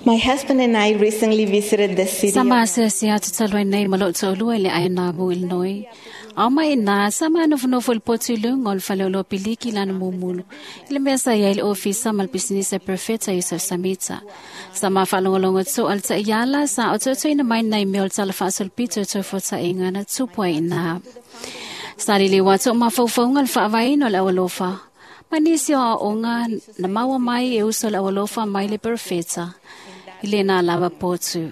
My husband and I recently visited the city Sama asiasi atu talu ai nei ma lou toalua i le Aina Abu Illinois. Ao mai ina, sama nofonofo i le potu i luga o le faleoloa piliki lana mumulu, i le mea sa i ai le ofisa ma le pisinisi a Perfeta Yusuf Samita. Sama faalogologo toa le taiala sa ototoina mai nai mea o le tala faasolopito e taufuataiga na tupu ai ina. Sa liliu atu o mafaufauga le faavaeina o le aualofa, ma nisi o aoaoga na maua mai e uso le aualofa mai le Perfeta i lena lava potu.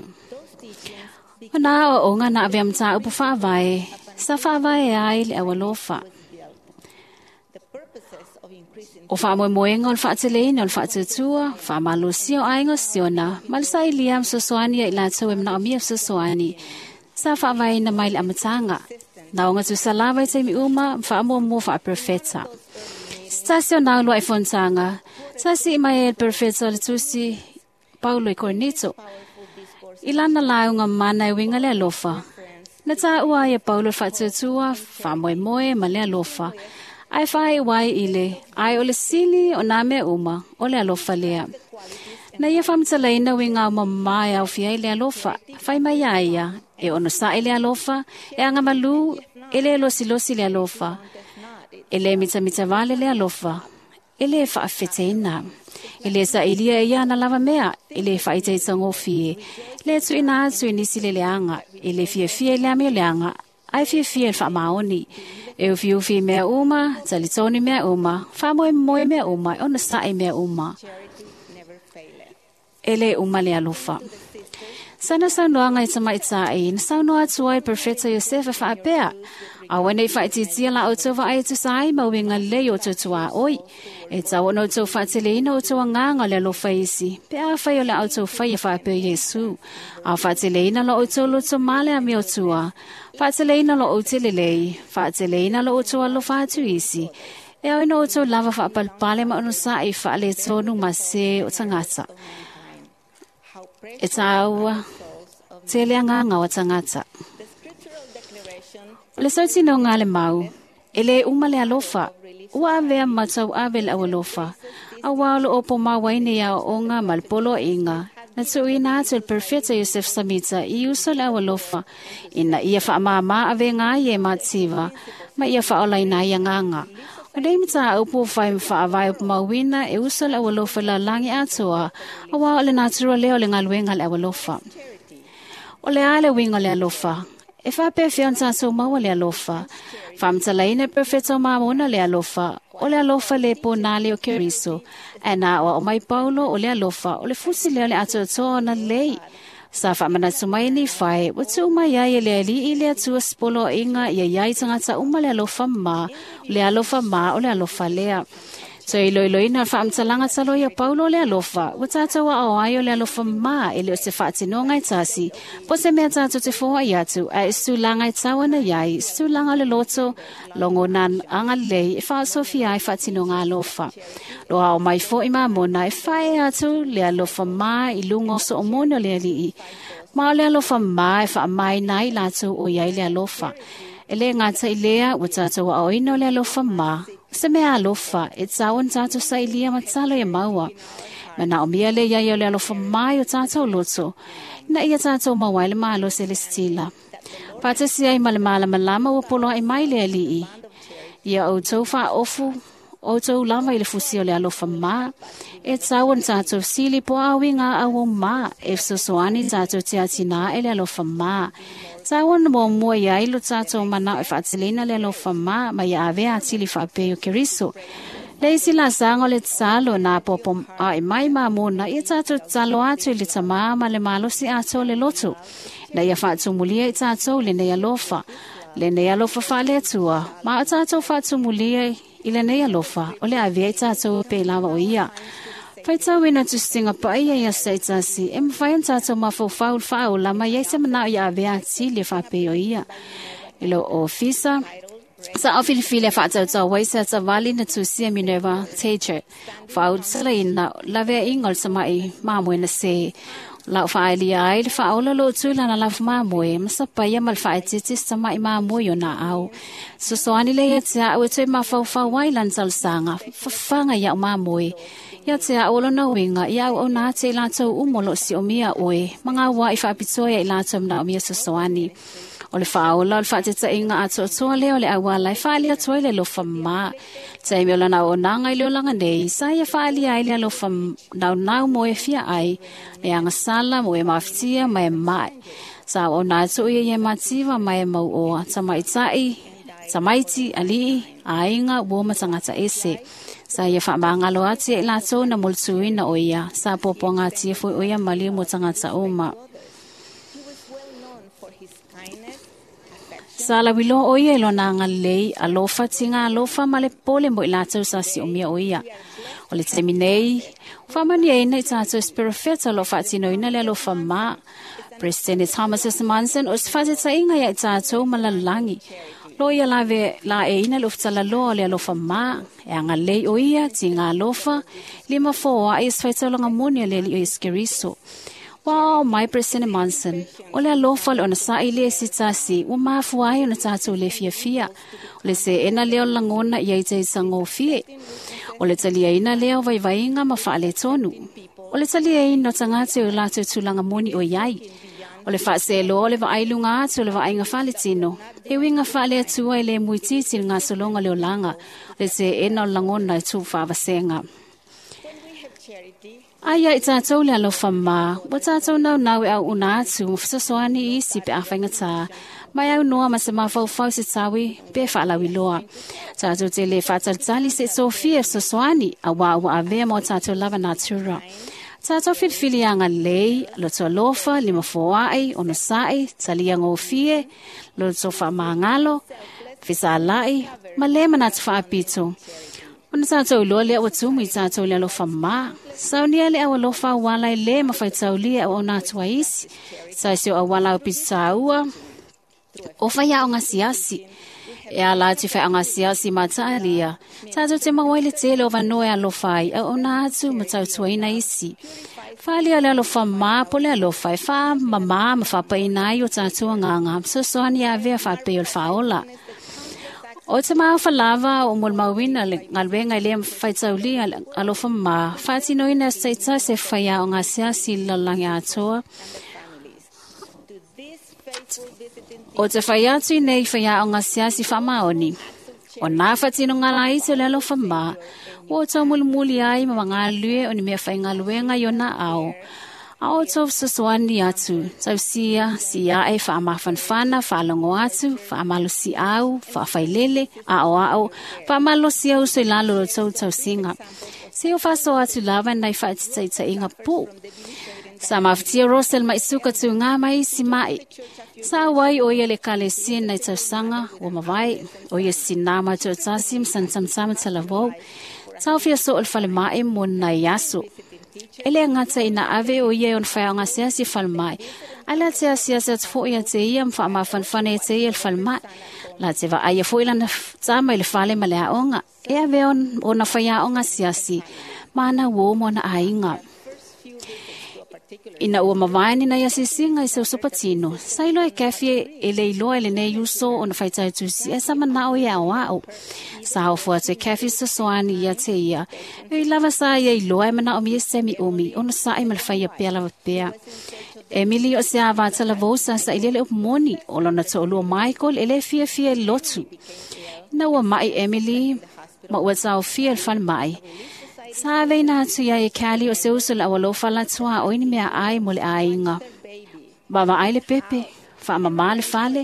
O nā aoaoga na avea mataupu faavae, sa faavae ai le aualofa. O faamoemoega o le faateleina o le faatuatua, faamalosia o aiga o Siona, ma le sailia ma fesoasoani ia i latou e manaomia fesoasoani, sa faavaeina mai le amataga. Na oga tusa lava i taimi uma ma faamuamua faaperofeta. Se tasi o nā uluai fonotaga, sa sii mai ai le perofeta o le tusi Paulo i Korinito. I lana lauga mana e uiga le alofa, na taua ai e Paulo le faatuatua, faamoemoe ma le alofa, ae faaiu ai i le, ae o le sili o nā mea uma, o le alofa lea. Na ia faamatalaina uiga aomamā e aofia ai le alofa, fai mai a ia, e onosai le alofa, e agamalu, e le losilosi le alofa, e le mitamitavale le alofa, e le faafeteina. E le sailia e ia ana lava mea, e le faaitaitagofie, le tuuina atu i nisi le leaga, e le fiafia i le amio leaga, ae fiafia i le faamaoni. E ufiufi i mea uma, talitonu i mea uma, faamoemoe i mea uma, e onosai i mea uma. E le uma le alofa. Sana saunoaga i tamaitai, na saunoa atu ai le Perfeta Iosefa faapea, Aua ne i faaitiitia la outou vaai e tusa ai ma uiga lelei o outou tuaoi. E tatau ona outou faateleina outou agaga o le alofa isi, pe afai o le a outou faia faapea Iesu. A o faateleina lo outou loto ma le amiotua, faateleina lo outou lelei, faateleina lo outou alofa atu isi, e ao ina outou lava faapalepale ma onosai faaletonu ma se o tagata. E taua tele agaga o tagata. O le sautinoga a le mau, e le uma le alofa, ua avea ma tauave le aualofa, auā o lo o pomauaina i aoaoga ma le poloaiga, na tuuina atu e le Perfeta Yosef Samita i uso le aualofa, ina ia faamāmā avega ai e mativa, ma ia faaolaina ai agaga. O nei mataupu ua fai ma faavae upumauina e uso le aualofa i le lalolagi atoa, auā o le natura lea o le galuega a le aualofa. O le a le uiga o le alofa? E faapefea ona tatou maua le alofa? Faamatalaina e Perfeta o Mamona le alofa, o le alofa le ponale o Keriso. Ae na aoao mai Paulo o le alofa, o le fusi lea o le atoatoa ona lelei. Sa faamanatu mai e Nifae, ua tuu mai ai e le Alii le Atua se poloaiga ia i ai tagata uma le alofa ma, o le alofa ma o le alofa lea. Toe iloiloina le faamatalaga taloa ia Paulo o le alofa, ua tatou aao ai o le alofa ma e le o se faatinoga e tasi, po o se mea tatou te foai atu, ae o se tulaga e tau ana i ai, se tulaga o le loto, logona agalelei e faaosofia ai faatinoga alofa. Lo ao mai foi Mamona e faaea atu le alofa ma i luga o soomone o le Alii, ma o le alofa ma e faamaina ai latou o i ai le alofa. E le gata i lea, ua tatou aoina o le alofa ma, o se mea alofa, e tatau ona tatou sailia ma tatalo ia maua. Manaomia le i ai o le alofa ma i o tatou loto, ina ia tatou maua ai le malosi e lesitila. Faatasi ai ma le malamalama ua poloai mai le Alii, ia outou faaofu outou lava i le fusi o le alofa ma, e tatau ona tatou sili po o a uiga auau ma, e fesoasoani tatou te atinae le alofa ma. Tatau ona muamua i ai lo tatou manao e faateleina le alofa ma, ma ia avea atili faapea o Keriso. Le isi laasaga o le tatalo na apoapo ae mai Mamona, ia tatou tatalo atu i le Tamā ma le malosi atoa o le loto, ina ia faatumulia i tatou lenei alofa, lenei alofa faale-Atua, ma o tatou faatumulia i lenei alofa, o le avea i tatou e pei lava o ia. Faitauina tusitiga paia i aso taitasi, e mafai ona tatou mafaufau i le faaola ma i ai se manao ia avea atili e faapei o ia. I lou ofisa, sa filifili a faatautau ai se atavali na tusia Minerva Teacher. Faaulutalaina laveaiga o le tama'i mamoe na se. Lau faaelia ai le faaola lo tu lana lafu mamoe, ma sapaia ma le faaetete se tama'i mamoe o na au. Sosoani le ia te au e toe mafaufau ai lana talosaga, fafaga ia'u mamoe. Ia te a olo na winga, ia au na te latou umo lo si omia oe, mga wa i whaapitoa ia i latou mna omia sosoani. O le whaola o le whaatetainga a toatoa lea o le awala e whaalia toi le lofa mā. Taimi o lana o nanga i le olanga nei, sa ia whaalia ai le alofa nau nau mo e fia ai, le angasala mo e mawhitia ma e mai. Sa o nā tō ia ia mativa ma e mau oa, tamaitai, tamaiti, alii, ainga, uo matangata ese. Sa ia whaamangalo ati e lātou na moltuina o ia, sa popo ngā tia fui o ia maliu mo tangata uma. Sa la wilo o ia lona ngalei alofa tinga alofa ma le pole mo i lātou sa si omia o ia. O le taimi nei, whamani e ina i tātou spirofeta lo whaatino ina le alofa mā. President Thomas S. Monson o se inga ia i tātou malalangi. Lo ia la ve la e ina lo ftala lo le alofa mā. E anga lei o ia, tinga alofa, lima fōa e sfaitaulanga moni le li o iskeriso. Wow, my President Monson, o le alofa le ona sa ile si tasi, ua mafua ai ona tātou le fia fia. O le se ena leo langona ia i te sango fie. O le talia ina leo vaivainga ma whaale tonu. O le talia ina tangate o lātou tūlanga moni o iai. O le whaaselo o le vaailunga atu o le vaainga whale tino. E winga whaale atua i le muititi ngā solonga leo langa. O le se ena o langona i tū whaavasenga. Aia i tātou le alofa mā, wa tātou nau nau e au una atu, mwhasasoani isi pe awhainga tā, mai au noa ma se mawhauwhau se tawi, pe whaalawi loa. Tātou te le whaatalitali se Sofia sosoani, a wā ua avea mō tātou lava natura. Tātou whiliwhili anga lei, loto alofa, lima fōai, ono sa'i, talia ngōfie, loto whaamangalo, whisalai, ma le manatu whaapito. Ona tātou loa lea ua tumu i tātou le alofa mā. Saunia le au alofa wala i le mawhaitaulia o nā tua isi. Saisi o awala o pitaua. O whai ao ngā siasi. E ala atu whai ngā siasi mā taalia. Tātou te mawaile tele o vanoe alofa ai au o nā atu matautuaina isi. Whalia le alofa mā po le alofa e wha mamā ma whapaina ai o tātou ngā ngā. Sosoani a vea whapei o le whaola. O te maofa lava o molmauina le ngalwenga le whaitaulia alofa mā. Whaatino ina seita se whaia o ngā siasi lalangi atoa. O te whai atu nei whaia o ngā siasi whamaoni. O nā whatino ngā laiti o le alofa mā. O tau mulimuli ai ma ngā lue o ni mea whai ngā luenga i o nā ao. A o tau sosoani atu, tau sia, sia e whaamawhanwhana, whaalongo atu, whaamalosi au, whaafailele, a o ao, whaamalosi au so i lalo o tau tau singa. Se o whaso atu lava nai whaatitaita inga pō. Sa mawhitia Rosel mai suka tu ngā mai si mai. Sa wai o ia le kale sien nei tausanga, o mawai, o ia sinama tau tasi msantamtama talavou. Tau fia so o le whale mai mo nai aso. Ele ngata ina ave o ia on whai ngā siasi whalmai. Ala te asiasi atu fo ia te ia mwha mawhanwhane te ia le whalmai. La te wa aia fo ilana tāma i le whale ma le aonga. E ave on ona whai aonga siasi. Mana wo mo na ainga. Ina ua mawaini na ia sisinga i seu sopatino. Sailo e kafi e leiloa e le nei uso o na whaitautusi e sama nao ia o ao. Sa o fua te kafi sosoani ia te ia. E lava sa ia iloa e mana o mi e semi umi. Ono sa e malwhaia pea lava pea. Emily o se awatala vosa sa ilele o moni. O lona to'olua Michael e le fia fia e lotu. Ina ua mai Emily ma ua tau fia le whale mai. Sa veina atu ia e kali o se uso la alofa la tua o ini mea ai mo le ainga. Baba ai le pepe, wha mama le fale,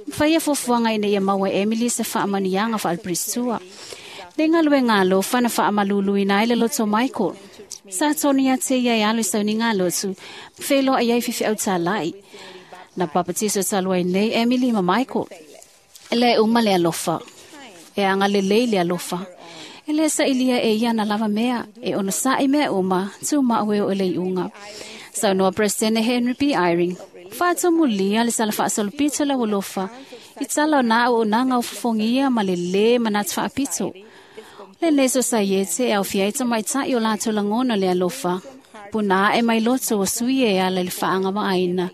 mwhaia fofuanga ina ia maua Emily se wha amanianga wha alpristua. Le ngalue ngā alofa na wha amalulu ina ai le loto Michael. Sa tonu ia te ia e alu sauni ngā lotu, whelo ai ai whiwhi au tālai. Na papatiso talua nei Emily ma Michael. Le uma le alofa. E anga le lei le alofa. Ele sa ilia e ia na lava mea, e ono sa i mea uma, tū maue o ele iunga. Sa noa President Henry B. Eyring, whātō mulia le sala whaasolopito la walofa, i tala o nā o nā ngau fufongia ma le le manatu whaapito. Le leso sa iete e au fiaita mai tai o lātou langona le alofa, puna e mai loto o sui e ala le whaanga maaina.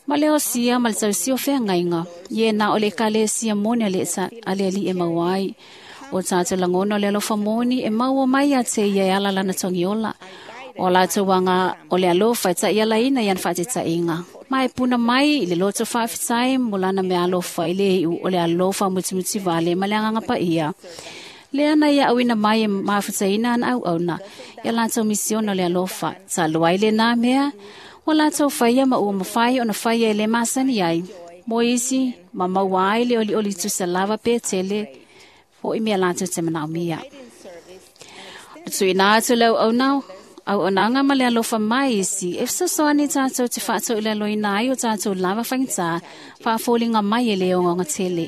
Ma le osia ma le tausi o wheangainga, ie nā o le kale sia moni ale ali e mauai. O tātou langona o le alofa moni e maua mai a te ia e ala lana togiola. O latou anga o le alofa e ta'ialaina i ana fa'ateta'iga. Ma e puna mai i le loto fa'afetai mo lana mea alofa i le i'u o le alofa mutimuti vale ma le agaga pa'ia. Lea na ia auina mai e mafutaina ana auauna ia latou misiona o le alofa. Talu ai lenā mea, ua latou faia ma ua mafai ona faia e lē masani ai. Mo isi, ma maua ai le olioli tusa lava pe tele, fo'i mea latou te manaomia. O tuuina atu le auauna auaunaga ma le alofa mai isi, e fesoasoani tatou te faatoilaloina ai o tatou lava faigata, faafoliga mai e le ogaoga tele.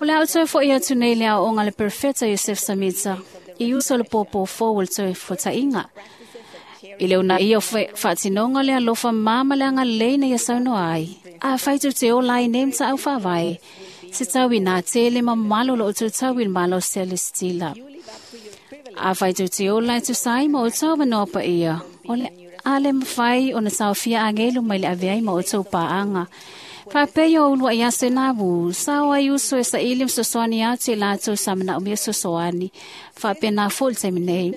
O le a ou toe fo'i atu nei i le aoaoga a le Perofeta Iosefo Samita, i uso o le pōpō fou o le toe fuata'iga. I le unaia o faatinoga o le alofa ma ma le agalelei na ia saunoa ai. Afai tou te ola ai nei mata'au faavae, se tau inā tele ma mamalo lo outou tau i le malo selestila. Afai tou te ola e tusa ai ma outou avanoa paia, o le a le mafai ona taofia agelu mai le ave ai ma outou paaga. Faapea o ulua'i aso e navu, sao ai uso e saili ma sosoani atu i latou sa manaomia sosoani. Faapena fo'i le taimi nei.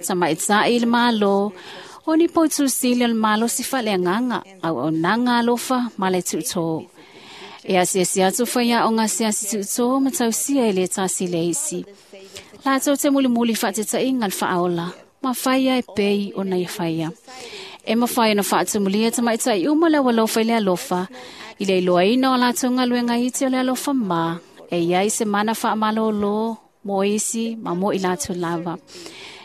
Tamaita'i i le Malo, o ni poutu sili o le malosi faaleagaga, auaunaga alofa ma le tuutō. E asiasi atu faiaoga asiasi tuutō ma tausia e le tasi le isi. Latou te mulimuli faateta'iga le faaola, ma faia e pei ona ia faia. E mafai ona faatumulia tamaita'i uma le aualofa i le alofa, i le iloaina o latou galuega iti o le alofa ma, e iai se mana faamalōlō mo isi ma mo i latou lava.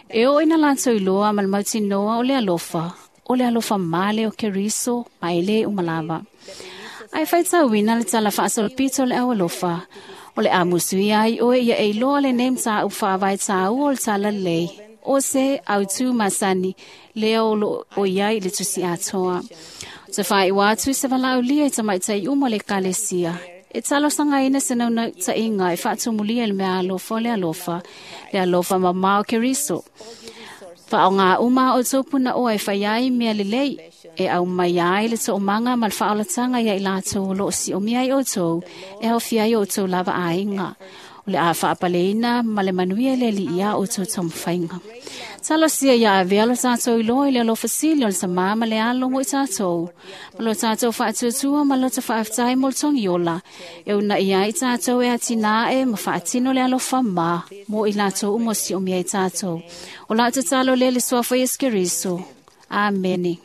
E oo ina latou iloa ma le mautinoa o le alofa male o Keriso ma e lē uma lava. Ae faitauina le tala faasolopito o le aualofa, o le a musuia ai oe ia e iloa lenei mataupu faavae tāua o le talalelei, o se autū masani, lea o loo o iai i le tusi atoa. Te faaiʻu atu se valaaulia i tamaitai uma o le ekalesia. E talosagaina se naunauta'iga e faatumulia i le mea alofa o le alofa mamao Keriso. Faaogā uma a outou punaoa e fai ai mea lelei, e aumai ai le toomaga ma le faaolataga ia i latou o loo siomia ai outou, e aofia ai outou lava aiga. O le a faapaleina ma le manuia le alii iā outou taumafaiga. Talosia ia avea lo tatou iloa i le alofa sili o le Tamā ma le Alo mo i tatou. Ma lo tatou faatuatua ma lo ta faafetai mo le togiola. E unaia ai tatou e atina'e ma faatino le alofa ma mo i latou uma o siomia ai tatou. O lau tatalo lea i le suafa o Iesu Keriso. Amene.